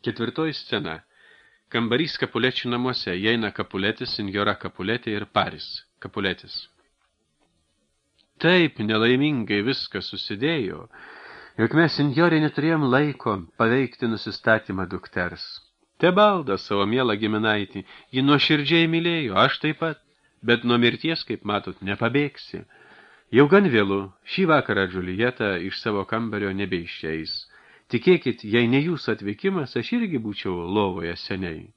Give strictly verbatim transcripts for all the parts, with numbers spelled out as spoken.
Ketvirtoji scena. Kambarys Kapulečių namuose. Įeina Kapuletis, senjora Kapuletė ir Paris Kapuletis. Taip nelaimingai viskas susidėjo, jog mes senjorė neturėjom laiko paveikti nusistatymą dukters. Tebalda savo mielą giminaitį, ji nuoširdžiai mylėjo, aš taip pat, bet nuo mirties, kaip matot, nepabėgsi. Jau gan vėlu, šį vakarą Džulieta iš savo kambario nebeišeis. Tikėkit, jei ne jūsų atvykimas, aš irgi būčiau lovoje seniai.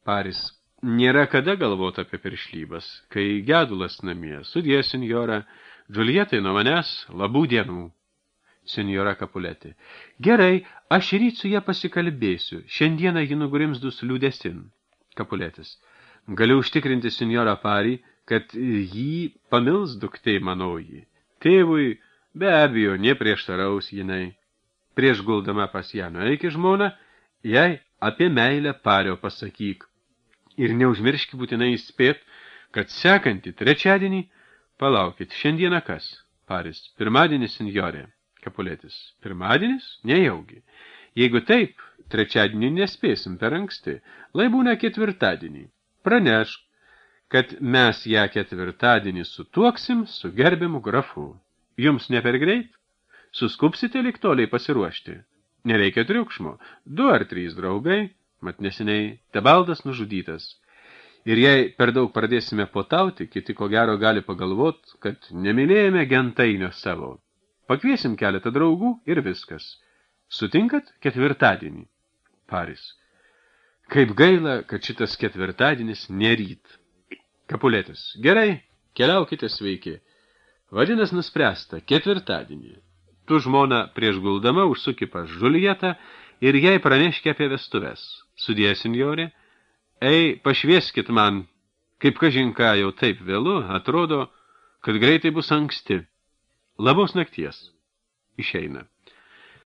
Paris, nėra kada galvoti apie piršlybas, kai gedulas namie. Sudie, senjora, Džulietai nuo manęs labų dienų. Senjora Kapuletė. Gerai, aš ryt su ją pasikalbėsiu. Šiandieną ji nugrimzdus liūdesin. Kapuletis. Galiu užtikrinti senjorą Parį, kad jį pamils duktei manoji. Tėvui be abejo neprieštaraus jinai. Prieš guldama pas ją nueik žmona, jai apie meilę Pario pasakyk. Ir neužmirški būtinai įspėt, kad sekantį trečiadienį, palaukit, šiandieną kas? Paris, pirmadienis, senjorė. Kapuletis, pirmadienis? Nejaugi. Jeigu taip, trečiadienį nespėsim per anksti, lai būna ketvirtadienį. Pranešk, kad mes ją ketvirtadienį sutuoksim su gerbiamu grafu. Jums ne per greit? Suskupsite lyg toliai pasiruošti. Nereikia triukšmo. Du ar trys draugai, mat neseniai Tebaldas nužudytas. Ir jei per daug pradėsime potauti, kiti ko gero gali pagalvot, kad nemylėjame gentainio savo. Pakviesim keletą draugų ir viskas. Sutinkat ketvirtadienį? Paris. Kaip gaila, kad šitas ketvirtadienis neryt. Kapuletis. Gerai, keliaukite sveiki. Vadinas nuspręsta, ketvirtadienį. Tu žmona prieš guldama užsuki pas Džulietą ir jai praneški apie vestuves. Sudie, senjorė, ei, pašvieskit man, kaip kažinka jau taip vėlu, atrodo, kad greitai bus anksti. Labos nakties. Išeina.